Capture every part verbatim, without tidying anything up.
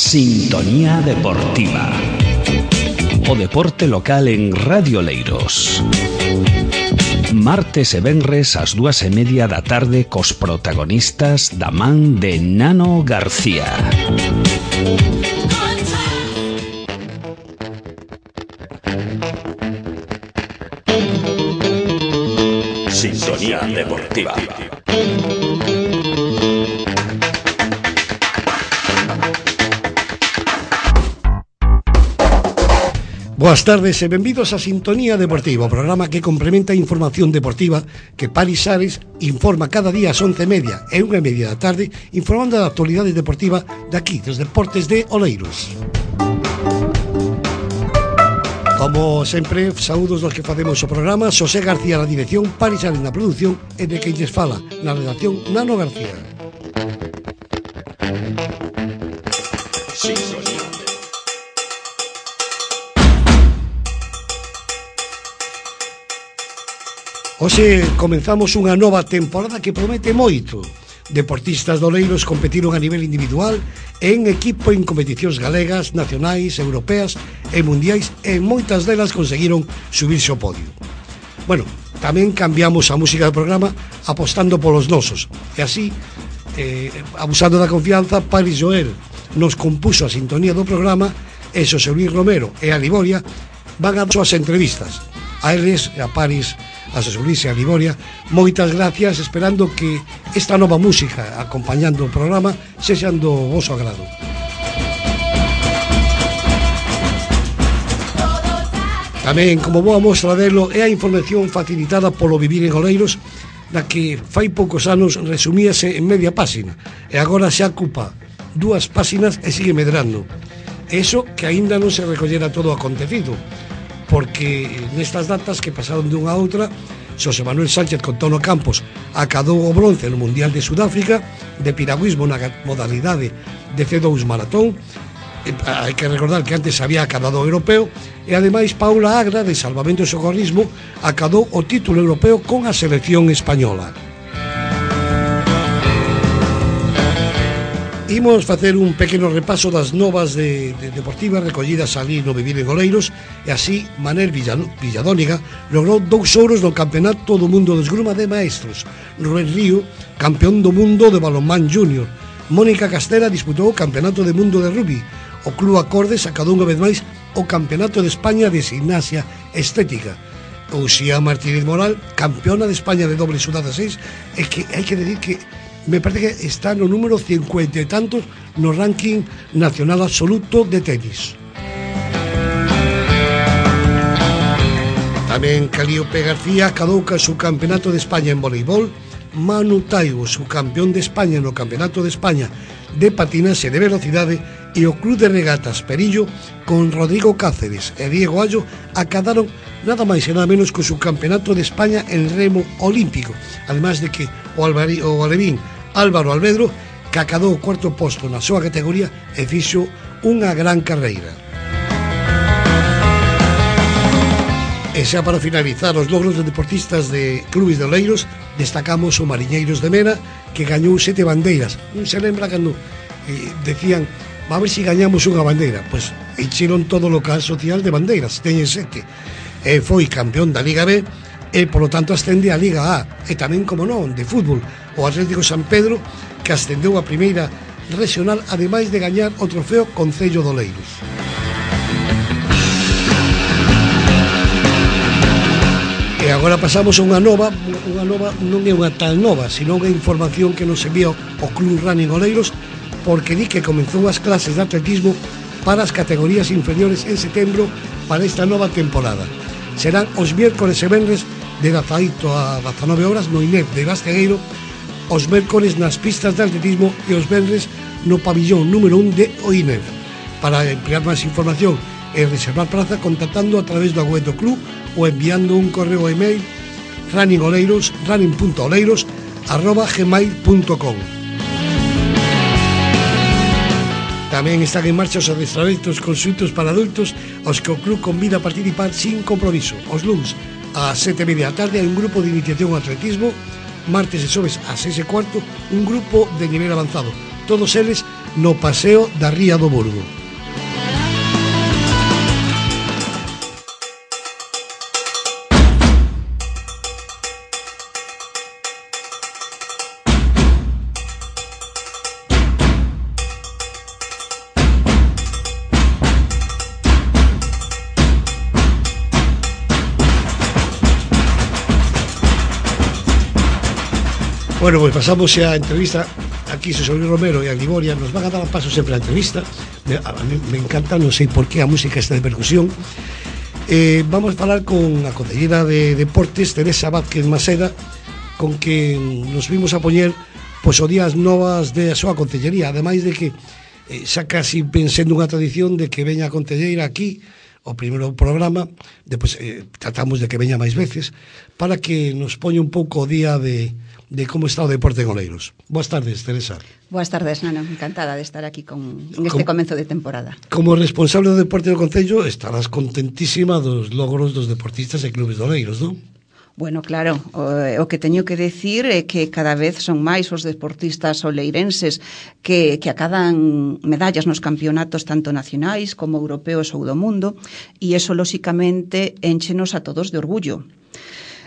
Sintonía Deportiva. O deporte local en Radio Oleiros. Martes e venres ás dúas e media da tarde cos protagonistas da man de Nano García. Sintonía Deportiva. Boas tardes e benvidos a Sintonía Deportiva, o programa que complementa a información deportiva que Paris Ares informa cada día ás once e media e unha e media da tarde, informando da actualidade deportiva daqui, dos deportes de Oleiros. Como sempre, saúdos dos que facemos o programa, Xosé García na dirección, Paris Ares na produción e de quen lles fala na redacción, Nano García. Sintonía. Hoxe comenzamos unha nova temporada que promete moito. Deportistas de Oleiros competiron a nivel individual e en equipo en competicións galegas, nacionais, europeas e mundiais, e moitas delas conseguiron subirse ao podio. Bueno, tamén cambiamos a música do programa apostando polos nosos, e así, eh, abusando da confianza, Paris Joel nos compuso a sintonía do programa e Xosé Luis Romero e a Liboria van a súas entrevistas. A eles, a Paris, a Xosé Luis e a Liboria, moitas gracias, esperando que esta nova música acompañando o programa sexan do voso agrado. Tamén, como boa mostra delo, é a información facilitada polo Vivir en Oleiros, da que fai poucos anos resumíase en media páxina e agora xa ocupa dúas páxinas e sigue medrando. Eso que aínda non se recollera todo o acontecido, porque nestas datas que pasaron dunha a outra, Xosé Manuel Sánchez con Tono Campos acadou o bronce no Mundial de Sudáfrica de piragüismo na modalidade de C dous maratón. Hai que recordar que antes había acadado o europeo, e ademais Paula Agra de salvamento e socorrismo acadou o título europeo con a selección española. Imos facer un pequeno repaso das novas de, de deportivas recollidas ali no Vivir en Oleiros, e así Manel Villadóniga logrou dous ouros no Campeonato do Mundo de Esgrima de Maestros. Rubén Río, campeón do mundo de balonmán júnior. Mónica Castera disputou o Campeonato do Mundo de Rugby. O Club Acordes acadou unha vez máis o Campeonato de España de Gimnasia Estética. Uxía Martínez Moral, campeona de España de doble sudada seis, e que hai que decir que me parece que está no número cincuenta e tantos no ranking nacional absoluto de tenis. Tamén Calíope García acadou ca su Campeonato de España en voleibol. Manu Taibo, su campeón de España no Campeonato de España de patinaxe de velocidade, e o Club de Regatas Perillo con Rodrigo Cáceres e Diego Allo acadaron nada máis e nada menos co su Campeonato de España en remo olímpico, además de que o, Alvari, o alevín Álvaro Alvedro, que acadou o cuarto posto na súa categoría e fixo unha gran carreira. E xa para finalizar os logros de deportistas de clubes de Oleiros, destacamos o Mariñeiros de Mena, que gañou sete bandeiras. Non se lembra cando eh, decían, va a ver se si gañamos unha bandeira. Pois encheron todo o local social de bandeiras, teñen sete. E foi campeón da Liga B, e polo tanto ascende a Liga A, e tamén, como non, de fútbol, o Atlético San Pedro, que ascendeu a primeira regional, ademais de gañar o trofeo Concello de Oleiros. E agora pasamos a unha nova, unha nova non é unha tal nova, sino unha información que nos envía o Club Running Oleiros, porque di que comenzou as clases de atletismo para as categorías inferiores en setembro para esta nova temporada. Serán os miércoles e venres de dezaoito a dezanove horas no I N E F de Bastegueiro, os mércoles nas pistas de atletismo e os venres no pabillón número un de o I N E F. Para emplear máis información e reservar praza, contactando a través do web do club ou enviando un correo e mail runningoleiros, running punto oleiros arroba gmail punto com. Tamén están en marcha os adestramento consultos para adultos, aos que o club convida a participar sin compromiso. Os luns ás sete e media da tarde hai un grupo de iniciación ao atletismo, martes e xoves ás seis e cuarto un grupo de nivel avanzado, todos eles no Paseo da Ría do Burgo. Bueno, pues pasamos xa a entrevista. Aquí Xosé Luis Romero e a Gliboria nos van a dar paso sempre a entrevista. A mí me encanta, non sei por qué a música está de percusión. eh, Vamos a falar con a concellera de Deportes, Teresa Vázquez Maseda, con que nos vimos a poñer pois o días novas de a súa concellería. Ademais de que eh, xa casi pensando unha tradición de que veña a concelleira aquí o primeiro programa, depois eh, tratamos de que veña máis veces, para que nos poña un pouco o día de de como está o deporte en Oleiros. Boas tardes, Teresa. Boas tardes, Nano. Encantada de estar aquí con, en este comenzo de temporada. Como responsable do deporte do Concello, estarás contentísima dos logros dos deportistas e clubes de Oleiros, non? Bueno, claro, o, o que teño que decir é que cada vez son máis os deportistas oleirenses que, que acadan medallas nos campeonatos tanto nacionais como europeos ou do mundo, e eso, lóxicamente, enchenos a todos de orgullo.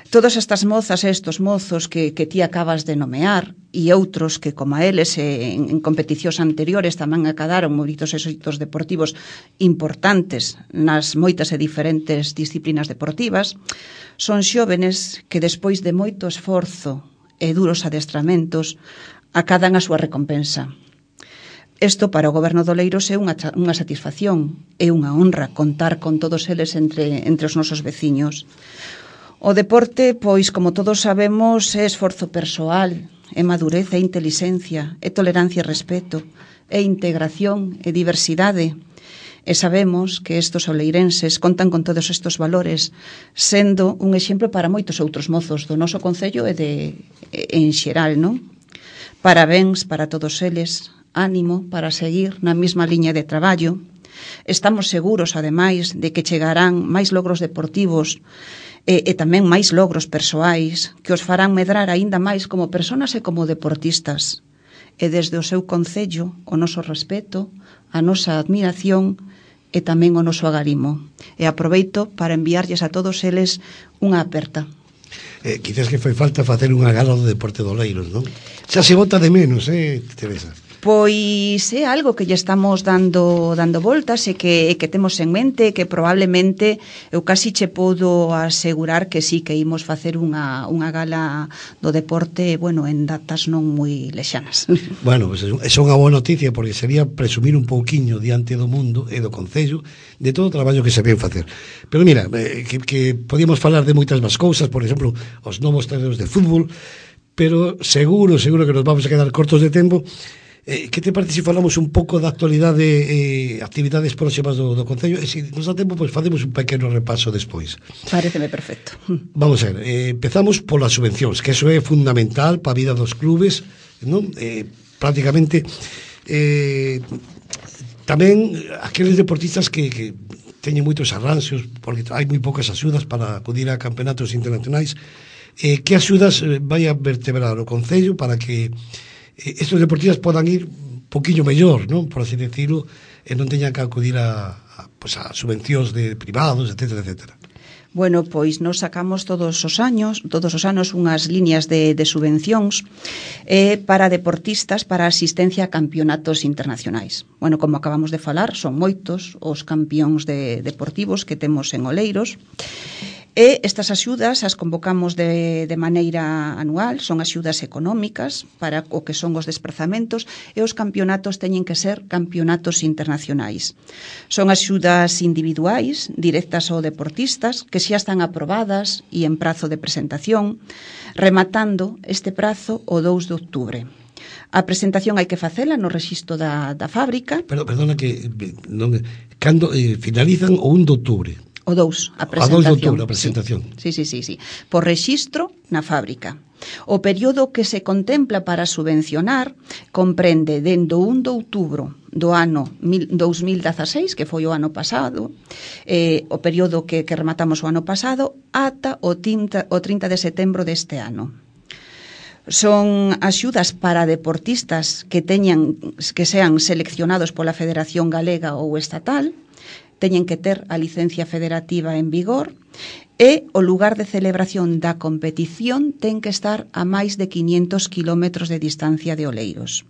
Todas estas mozas e estos mozos que, que ti acabas de nomear e outros que, como a eles, en, en competicións anteriores tamén acadaron moitos éxitos deportivos importantes nas moitas e diferentes disciplinas deportivas, son xóvenes que despois de moito esforzo e duros adestramentos acadan a súa recompensa. Isto para o goberno de Oleiros é unha, unha satisfacción, é unha honra contar con todos eles entre, entre os nosos veciños. O deporte, pois, como todos sabemos, é esforzo persoal, é madurez, é intelixencia, é tolerancia e respeto, é integración e diversidade. E sabemos que estos oleirenses contan con todos estes valores, sendo un exemplo para moitos outros mozos do noso concello e de en xeral, non? Parabéns para todos eles, ánimo para seguir na mesma liña de traballo. Estamos seguros, ademais, de que chegarán máis logros deportivos e, e tamén máis logros persoais que os farán medrar aínda máis como personas e como deportistas. E desde o seu concello, o noso respeto, a nosa admiración e tamén o noso agarimo. E aproveito para enviarlles a todos eles unha aperta. Eh, quizás que foi falta facer unha gala do deporte do Oleiros, non? Xa se bota de menos, eh, Teresa? Pois é algo que lle estamos dando dando voltas e que, e que temos en mente, que probablemente eu casi che podo asegurar que sí, que imos facer unha, unha gala do deporte, bueno, en datas non moi lexanas. Bueno, pues é unha boa noticia, porque sería presumir un pouquiño diante do mundo e do Concello de todo o traballo que se ven facer. Pero mira, eh, que, que podíamos falar de moitas máis cousas, por exemplo, os novos terreos de fútbol, pero seguro, seguro que nos vamos a quedar cortos de tempo. Eh, que te parece se falamos un pouco da actualidade e eh, actividades próximas do, do Concello, e se nos dá tempo, pois facemos un pequeno repaso despois. Pareceme perfecto. Vamos a ver, eh, empezamos polas subvencións, que eso é fundamental para a vida dos clubes, non? Eh, prácticamente eh, tamén aqueles deportistas que, que teñen moitos arranxos, porque hai moi poucas axudas para acudir a campeonatos internacionais. Eh, que axudas vai a vertebrar o Concello para que estes deportistas podan ir un poquinho mellor, non? Por así decirlo, e non teñan que acudir a, a, pues a subvencións de privados, etcétera, etcétera. Bueno, pois nos sacamos todos os años, todos os anos unhas liñas de, de subvencións eh, para deportistas para asistencia a campeonatos internacionais. Bueno, como acabamos de falar, son moitos os campións de, deportivos que temos en Oleiros. E estas axudas as convocamos de, de maneira anual, son axudas económicas para o que son os desplazamentos, e os campeonatos teñen que ser campeonatos internacionais. Son axudas individuais, directas aos deportistas, que xa están aprobadas e en prazo de presentación, rematando este prazo o dous de outubro. A presentación hai que facela no rexistro da, da fábrica. Pero, perdona que non, cando eh, finalizan o un de outubro. O dous, a presentación. A dous de outubro, a presentación. Sí, sí, sí, sí. Por rexistro na fábrica. O período que se contempla para subvencionar comprende dende o un de outubro do ano dous mil dezaseis, que foi o ano pasado, eh, o período que, que rematamos o ano pasado, ata o trinta, o trinta de setembro deste ano. Son axudas para deportistas que teñan que sean seleccionados pola Federación Galega ou estatal, teñen que ter a licencia federativa en vigor e o lugar de celebración da competición ten que estar a máis de quinientos kilómetros de distancia de Oleiros.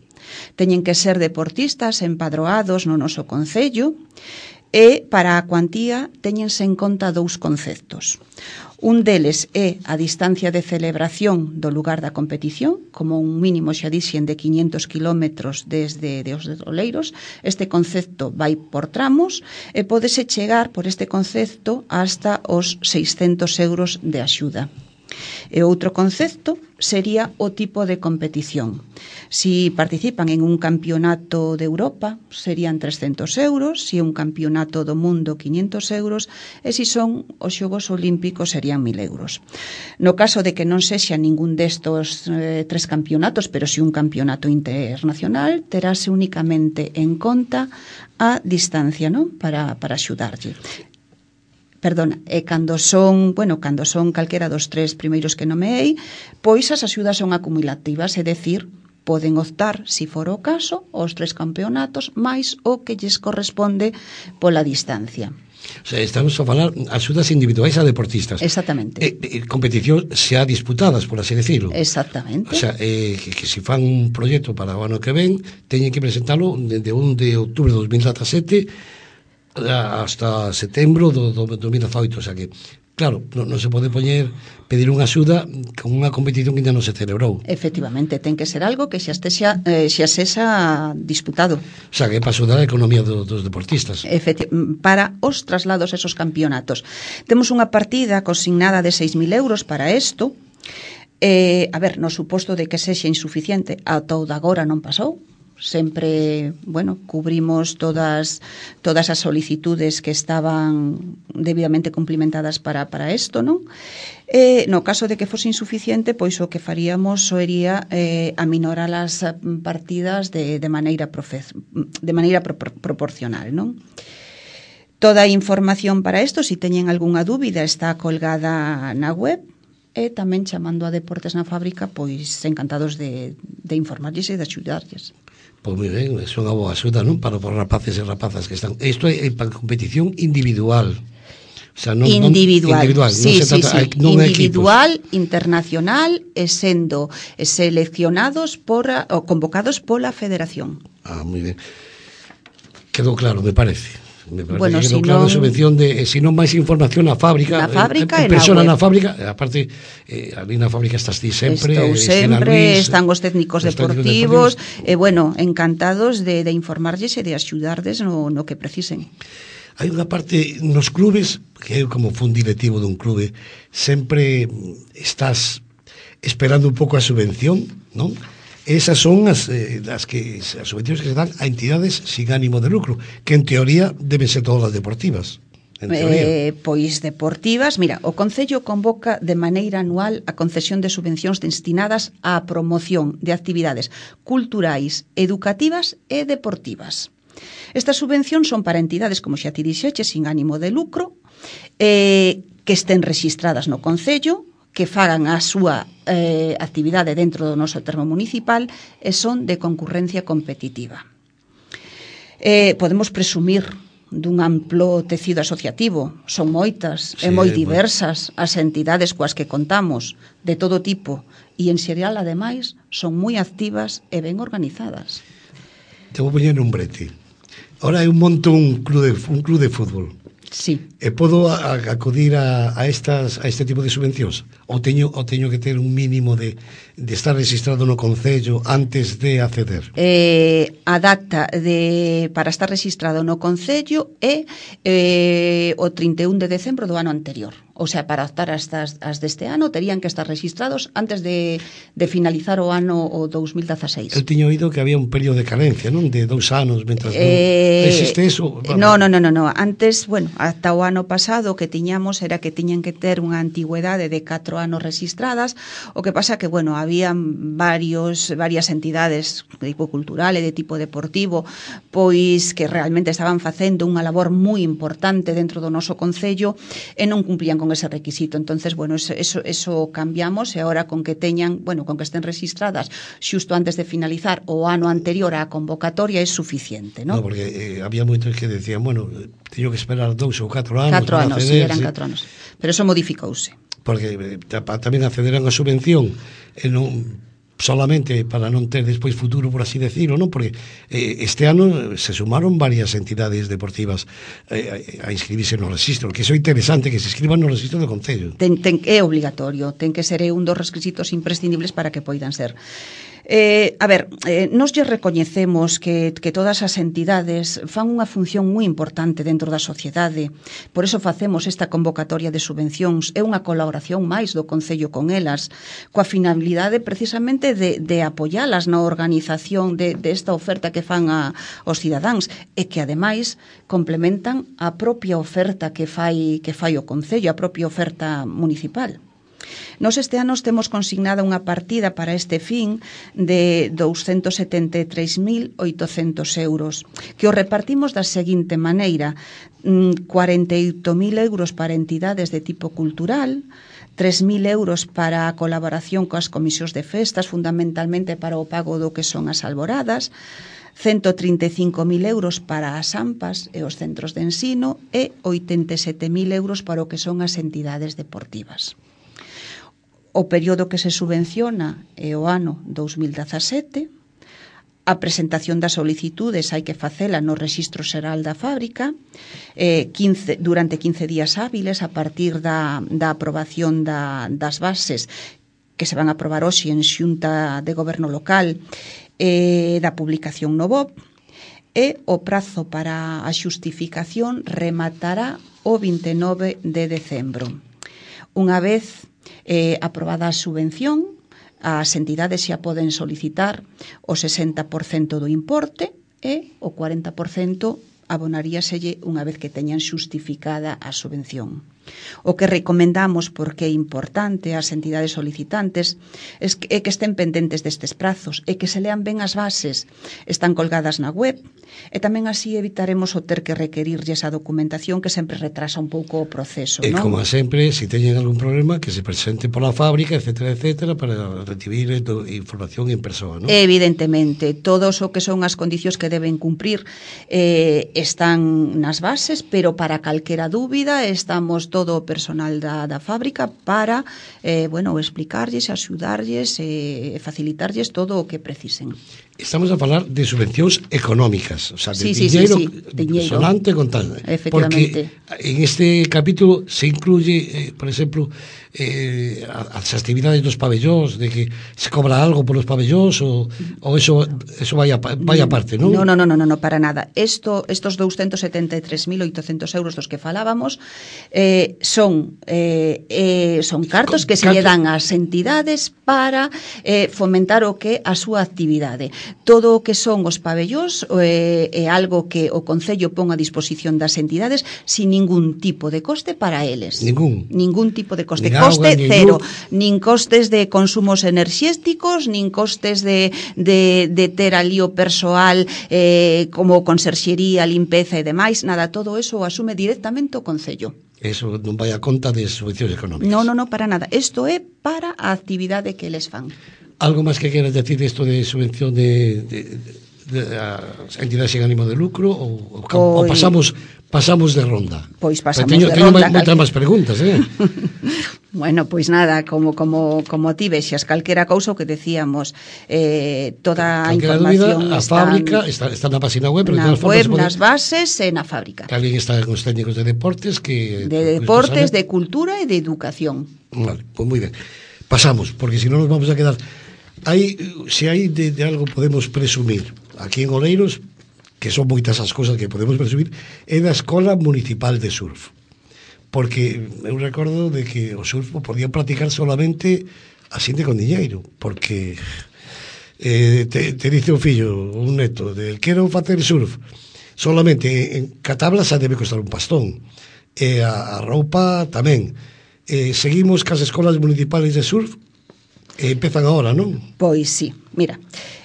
Teñen que ser deportistas empadroados no noso concello e para a cuantía teñense en conta dous conceptos. Un deles é a distancia de celebración do lugar da competición, como un mínimo, xa dixen, de quinientos kilómetros desde de os Oleiros. Este concepto vai por tramos e pódese chegar por este concepto hasta os seiscentos euros de axuda. E outro concepto sería o tipo de competición. Si participan en un campeonato de Europa, serían trescentos euros, si é un campeonato do mundo, quinientos euros, e si son os Xogos Olímpicos, serían mil euros. No caso de que non sexa ningún destos eh, tres campeonatos, pero si un campeonato internacional, terase únicamente en conta a distancia, non? Para, para axudarlle. Perdona, e cando son, bueno, cando son calquera dos tres primeiros que nomeei, pois as axudas son acumulativas, é dicir, poden optar, se for o caso, os tres campeonatos máis o que lles corresponde pola distancia. O sea, estamos a falar axudas individuais a deportistas. Exactamente. Eh, eh, competición xa disputadas, por así decirlo. Exactamente. O sea, eh, que, que se fan un proxecto para o ano que ven, teñen que presentalo de un de outubro de dos mil dezasete hasta setembro do, do dos mil dezaoito, o sea que claro, non, non se pode poñer pedir unha axuda con unha competición que ainda non se celebrou. Efectivamente, ten que ser algo que xa estexa, eh, xa sexa disputado. O sea, que é para axudar a economía do, dos deportistas. Efecti- para os traslados a esos campeonatos. Temos unha partida consignada de seis mil euros para isto. Eh, a ver, no suposto de que sexa insuficiente, a todo agora non pasou. Sempre, bueno, cubrimos todas todas as solicitudes que estaban debidamente cumplimentadas para para isto, non? Eh, no caso de que fose insuficiente, pois o que faríamos sería eh, aminorar as partidas de, de maneira profe, de maneira pro, pro, proporcional, non? Toda a información para isto, se si teñen algunha dúbida, está colgada na web. E tamén chamando a Deportes na Fábrica, pois encantados de, de informarlles e de axudarlles. Pois moi ben, é unha boa axuda, non? Para os rapaces e rapazas que están. Isto é para competición individual. O sea, non, individual, non, individual, sí, non se sí, trata, sí. non individual, internacional e sendo seleccionados por ou convocados pola Federación. Ah, moi ben. Quedou claro, me parece. Me parece bueno, que si quedou claro non, a subvención de, se non máis información na fábrica, na fábrica en, en, en persona na, na fábrica, aparte eh, ali na fábrica estás ti sempre, estou sempre, Luis, están os técnicos os deportivos, deportivos e bueno, encantados de, de informarlles e de axudarles no, no que precisen. Hai unha parte nos clubes, que eu como fun directivo dun clube, sempre estás esperando un pouco a subvención, non? Esas son as, eh, as, que, as subvencións que se dan a entidades sin ánimo de lucro, que en teoría deben ser todas as deportivas. En eh, pois deportivas, mira, o Concello convoca de maneira anual a concesión de subvencións destinadas á promoción de actividades culturais, educativas e deportivas. Estas subvencións son para entidades, como xa ti dixeches, sin ánimo de lucro, eh, que estén rexistradas no Concello, que fagan a súa eh, actividade dentro do noso termo municipal e son de concurrencia competitiva. Eh, podemos presumir dun amplo tecido asociativo, son moitas sí, e moi diversas as entidades coas que contamos, de todo tipo, e en xeral, ademais, son moi activas e ben organizadas. Te vou poñer un brete. Ahora eu monto un club de, un club de fútbol. Sí. E podo a, a, acudir a, a, estas, a este tipo de subvencións? Ou teño, ou teño que ter un mínimo de, de estar registrado no Concello antes de acceder? Eh, a data de, para estar registrado no Concello é eh, o trinta e un de decembro do ano anterior. O sea, para optar as, as deste ano terían que estar registrados antes de, de finalizar o ano o dos mil dezaseis. Eu tiño oído que había un período de carencia, non? De dous anos, mentras eh, non existe eso. No, no, no, no, no. Antes, bueno, ata o ano pasado que tiñamos era que tiñan que ter unha antigüedade de catro anos rexistradas, o que pasa que, bueno, había varios, varias entidades de tipo cultural e de tipo deportivo, pois que realmente estaban facendo unha labor moi importante dentro do noso concello e non cumplían con ese requisito. Entonces, bueno, eso, eso, eso cambiamos e agora con que teñan, bueno, con que estén registradas xusto antes de finalizar o ano anterior á convocatoria é suficiente, non? No, porque eh, había moitos que decían, bueno, teño que esperar dous ou catro anos catro para anos, acceder. Sí, eran sí. catro anos. Pero eso modificouse. Porque eh, tamén accederan a subvención e non solamente para non ter despois futuro, por así decirlo, non? Porque eh, este ano se sumaron varias entidades deportivas eh, a inscribirse no registro, que iso é interesante, que se inscriban no registro do Concello. Ten, ten, é obligatorio, ten que ser un dos requisitos imprescindibles para que poidan ser. Eh, a ver, eh, nos lle recoñecemos que, que todas as entidades fan unha función moi importante dentro da sociedade, por eso facemos esta convocatoria de subvencións, é unha colaboración máis do Concello con elas, coa finalidade precisamente de, de apoialas na organización de, de esta oferta que fan a, aos cidadáns, e que ademais complementan a propia oferta que fai, que fai o Concello, a propia oferta municipal. Nos este ano temos consignada unha partida para este fin de douscentos setenta e tres mil oitocentos euros, que o repartimos da seguinte maneira: cuarenta e oito mil euros para entidades de tipo cultural, tres mil euros para a colaboración coas comisións de festas, fundamentalmente para o pago do que son as alboradas, ciento trinta e cinco mil euros para as AMPAs e os centros de ensino e oitenta e sete mil euros para o que son as entidades deportivas. O período que se subvenciona é o ano dous mil dezasete. A presentación das solicitudes hai que facela no Rexistro Xeral da Fábrica eh, quince, durante quince días hábiles a partir da, da aprobación da, das bases que se van a aprobar hoxe en Xunta de Goberno Local e eh, da publicación no B O P, e o prazo para a xustificación rematará o vinte e nove de decembro. Unha vez Eh, aprobada a subvención, as entidades xa poden solicitar o sesenta por cento do importe e o cuarenta por cento abonaríaselle unha vez que teñan xustificada a subvención. O que recomendamos, porque é importante ás entidades solicitantes, é que, é que estén pendentes destes prazos e que se lean ben as bases. Están colgadas na web e tamén así evitaremos o ter que requerirlle esa documentación que sempre retrasa un pouco o proceso, E non? como sempre, se teñen algún problema, que se presente pola fábrica, etcétera, etcétera, para recibir información en persoa, non? Evidentemente, todos o que son as condicións que deben cumprir eh, están nas bases, pero para calquera dúbida estamos todo o personal da, da fábrica para eh, bueno, explicarlles, axudarlles e eh, facilitarlles todo o que precisen. Estamos a falar de subvencións económicas, o sea, de sí, sí, diñeiro, sí, sí, diñeiro sonante con tal. Efectivamente. Porque en este capítulo se incluye, eh, por exemplo, eh, as actividades dos pabellóns, de que se cobra algo polos pabellóns ou, ou eso, eso vai, a, vai aparte, non? No, no, no, no, no, no, para nada. Esto, estos douscentos setenta e tres mil oitocentos euros dos que falábamos eh, son eh, eh, son cartos que se lle dan ás entidades para eh, fomentar o que a súa actividade. Todo o que son os pabellóns é, é algo que o Concello pon a disposición das entidades sin ningún tipo de coste para eles. Ningún. Ningún tipo de coste. Ni Coste agua, ni cero. luz. Nin costes de consumos enerxéticos, nin costes de, de, de ter ali o persoal eh, como conserxería, limpeza e demais. Nada, todo eso o asume directamente o Concello. Eso non vai a conta de subvencións económicas. No, no, no, para nada. Isto é para a actividade que eles fan. Algo máis que queres decir isto de subvención de, de, de, de as entidades sin ánimo de lucro ou, ou, ou pasamos pasamos de ronda? Pois pasamos teño, de teño ronda. Teño moitas máis preguntas, eh? Bueno, pois nada, como como como ti vexas, calquera cousa o que decíamos, eh, toda a información dúbida, a está, fábrica está, está na página web, pero na web, pode... nas bases e na fábrica. Que alguén está con os técnicos de deportes que de deportes, de cultura e de educación. Vale, pois pues moi ben. Pasamos, porque se non nos vamos a quedar. Hai, se hai de, de algo podemos presumir aquí en Oleiros, que son moitas as cousas que podemos presumir, é da Escola Municipal de Surf. Porque eu recordo de que o surf podían practicar solamente a xente con diñeiro, porque eh, te, te dice un fillo, un neto, de quero facer surf, solamente en catabla xa debe costar un pastón, e a, a roupa tamén, eh, seguimos cas escolas municipales de surf, e empezan agora, non? Pois sí, mira,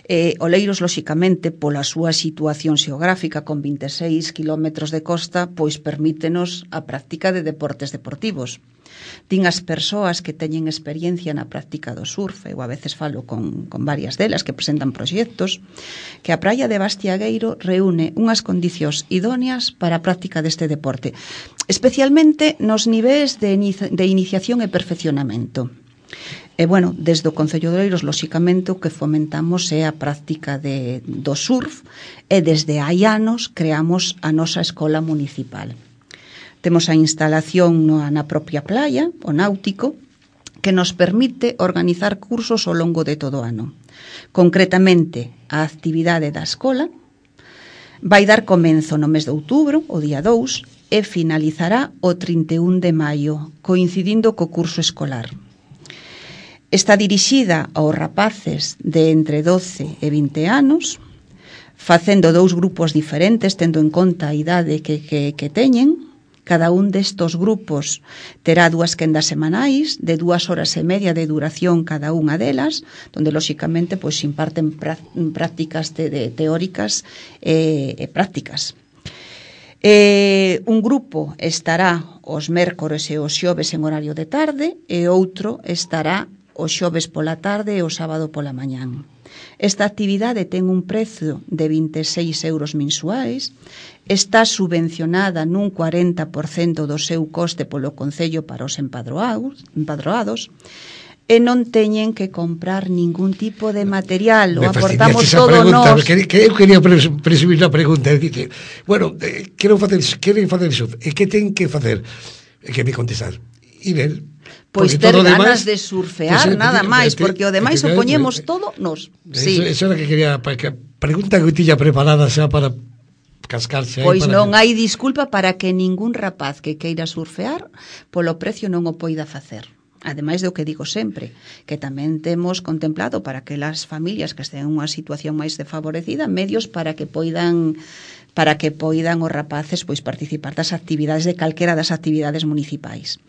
eh, Oleiros, lóxicamente, pola súa situación xeográfica con vinte e seis kilómetros de costa, pois permítenos a práctica de deportes deportivos. Din as persoas que teñen experiencia na práctica do surf, eu a veces falo con, con varias delas que presentan proxectos, que a praia de Bastiagueiro reúne unhas condicións idóneas para a práctica deste deporte, especialmente nos niveis de, inicia, de iniciación e perfeccionamento. E, bueno, desde o Concello de Oleiros, lóxicamente, o que fomentamos é a práctica de, do surf e desde hai anos creamos a nosa escola municipal. Temos a instalación na, na propia playa, o náutico, que nos permite organizar cursos ao longo de todo o ano. Concretamente, a actividade da escola vai dar comenzo no mes de outubro, o día dous, e finalizará o trinta e un de maio, coincidindo co curso escolar. Está dirixida aos rapaces de entre doce e vinte anos, facendo dous grupos diferentes, tendo en conta a idade que, que, que teñen. Cada un destos grupos terá dúas quendas semanais, de dúas horas e media de duración cada unha delas, donde, lóxicamente, pois, imparten prácticas de, de teóricas e, e prácticas. Eh, un grupo estará os mércores e os xoves en horario de tarde, e outro estará o xoves pola tarde e o sábado pola mañán. Esta actividade ten un prezo de vinte e seis euros mensuais, está subvencionada nun cuarenta por cento do seu coste polo Concello para os empadroados, empadroados, e non teñen que comprar ningún tipo de material, o aportamos todo nós. Que, que eu quería presumir a pregunta, é dicir, bueno, eh, quero facer, queren facer iso, e que ten que facer? E que me contestar, ir Pois ter ganas de surfear, pues, nada máis, porque o demais o poñemos todo nos. Sí. Eso, eso era que quería, que pregunta que tiña preparada xa para cascarse. Pois para non que... hai disculpa para que ningún rapaz que queira surfear polo precio non o poida facer. Ademais do que digo sempre, que tamén temos contemplado para que as familias que estén en unha situación máis desfavorecida, medios para que poidan para que poidan os rapaces pois participar das actividades de calquera das actividades municipais.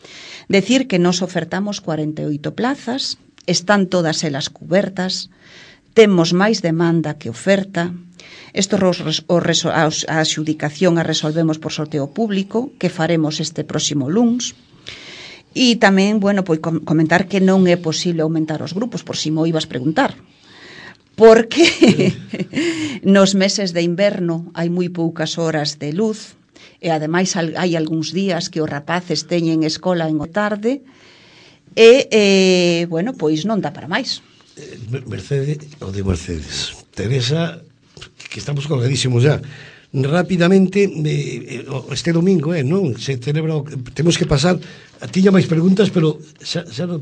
Decir que nos ofertamos cuarenta e oito plazas, están todas elas cubertas, temos máis demanda que oferta. Isto a adxudicación a resolvemos por sorteo público, que faremos este próximo luns. E tamén, bueno, pois comentar que non é posible aumentar os grupos, por si mo ibas preguntar. Porque nos meses de inverno hai moi poucas horas de luz e ademais hai algúns días que os rapaces teñen escola en o tarde e, eh, bueno, pois non dá para máis. Mercedes, o de Mercedes, Teresa, que estamos colgadísimos já. Rápidamente, eh, este domingo, eh, non? Se celebra, temos que pasar, tiña máis preguntas, pero xa, xa non,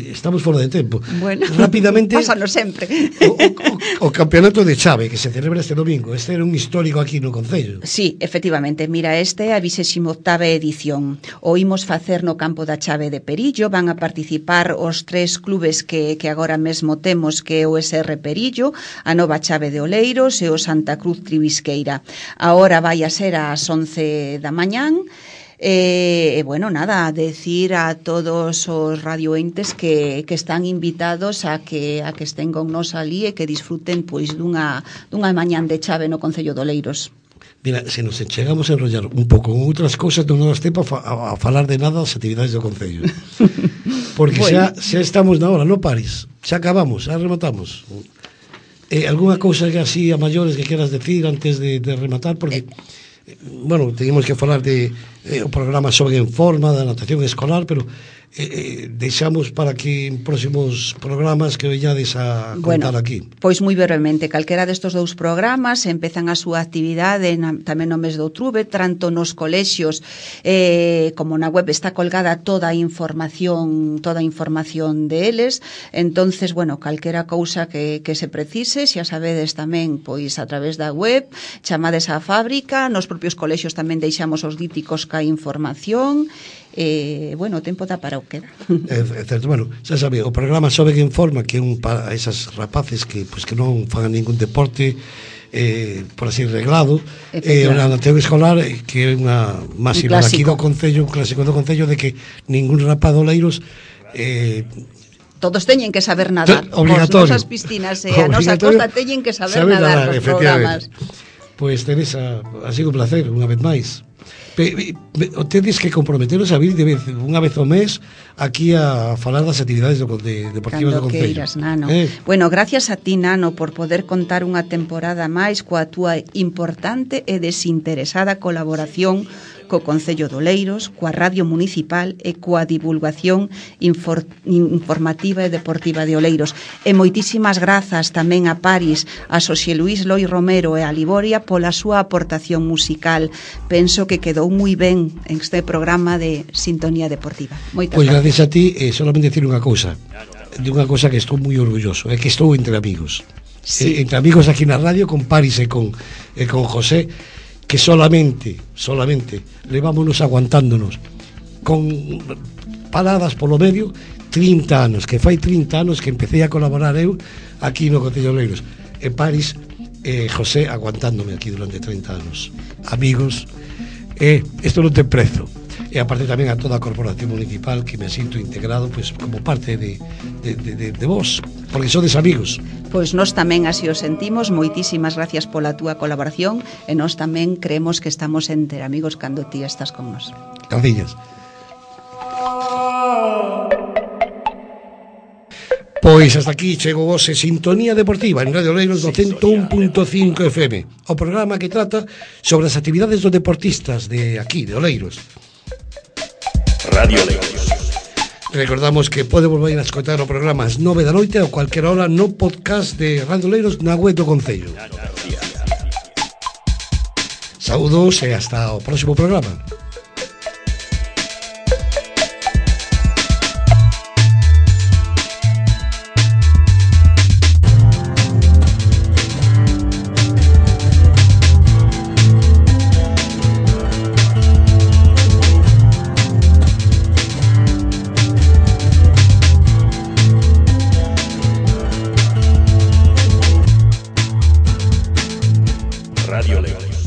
estamos fora de tempo. Bueno, rápidamente, pásalo sempre. O, o, o campeonato de chave que se celebra este domingo, este era un histórico aquí no Concello. Sí, efectivamente, mira, este é a vixésima octava edición. O imos facer no campo da chave de Perillo, van a participar os tres clubes que, que agora mesmo temos, que é o S R Perillo, a Nova Chave de Oleiros e o Santa Cruz Tribisqueira. Ahora vai a ser ás once da mañán. E, eh, bueno, nada, a decir a todos os radioentes que, que están invitados a que a que estén con nos ali e que disfruten pois dunha, dunha mañán de chave no Concello de Oleiros. Mira, se nos chegamos a enrollar un pouco con outras cousas, non nos tempo a, a, a falar de nada das actividades do Concello. Porque bueno, xa, xa estamos na hora, non pares, xa acabamos, xa rematamos. Eh, alguna cousa que así a maiores que queras decir antes de, de rematar, porque eh, bueno, teníamos que falar de eh, o programa Xogue en Forma, da natación escolar, pero eh, eh, deixamos para que en próximos programas que veñades a contar, bueno, aquí. Pois moi brevemente, calquera destos dous programas empezan a súa actividade na, tamén no mes de outubro, tanto nos colexios eh, como na web está colgada toda a información, toda a información deles. Entonces, bueno, calquera cousa que, que se precise, xa sabedes tamén, pois a través da web, chamades á fábrica, nos propios colexios tamén deixamos os díticos ca información. Eh, bueno, o tempo dá para o que dá. É, é certo, bueno, xa sabe, o programa Xogue en Forma, que é un para esas rapaces que, pues, que non fan ningún deporte, eh, por así reglado, e eh, o Nanteo Escolar, que é unha máxima aquí do Concello, un clásico do Concello, de que ningún rapaz de Oleiros eh, todos teñen que saber nadar. Obligatorio. As nosas piscinas e a nosa costa teñen que saber, saber nadar, nadar nos programas. Pois, pues, Teresa, ha sido un placer, unha vez máis. Tedes que comprometeros a vir de vez, unha vez ao mes aquí a falar das actividades do, de, deportivas do Concello. Queiras, Nano. Eh? Bueno, gracias a ti, Nano, por poder contar unha temporada máis coa túa importante e desinteresada colaboración co Concello de Oleiros, coa Radio Municipal e coa divulgación infor, informativa e deportiva de Oleiros. E moitísimas grazas tamén a Paris, a Xosé Luís Loi Romero e a Liboria pola súa aportación musical. Penso que quedou moi ben en este programa de Sintonía Deportiva. Moitas pois gracias. Gracias a ti, eh, solamente decir unha cousa, de unha cousa que estou moi orgulloso, é que estou entre amigos. Sí. Eh, entre amigos aquí na radio, con Paris e con, e con José, que solamente, solamente levámonos aguantándonos con paradas polo medio trinta anos, que fai trinta anos que empecé a colaborar eu aquí no Concello de Oleiros, e Paris e José aguantándome aquí durante trinta anos, amigos, e isto non ten prezo. E aparte tamén a toda a corporación municipal, que me sinto integrado pues, como parte de, de, de, de, de vos, porque sodes amigos. Pois nós tamén así o sentimos. Moitísimas gracias pola túa colaboración, e nós tamén creemos que estamos entre amigos cando ti estás con nós. Gracias. Pois hasta aquí chego vos en Sintonía Deportiva en Radio Oleiros do cento un punto cinco F M, o programa que trata sobre as actividades dos deportistas de aquí, de Oleiros. Radio Oleiros. Recordamos que pode volver a escoitar o programa ás nove da noite ou cualquier hora no podcast de Radio Oleiros na web do Concello. Saúdos e hasta o próximo programa. Radio Oleiros.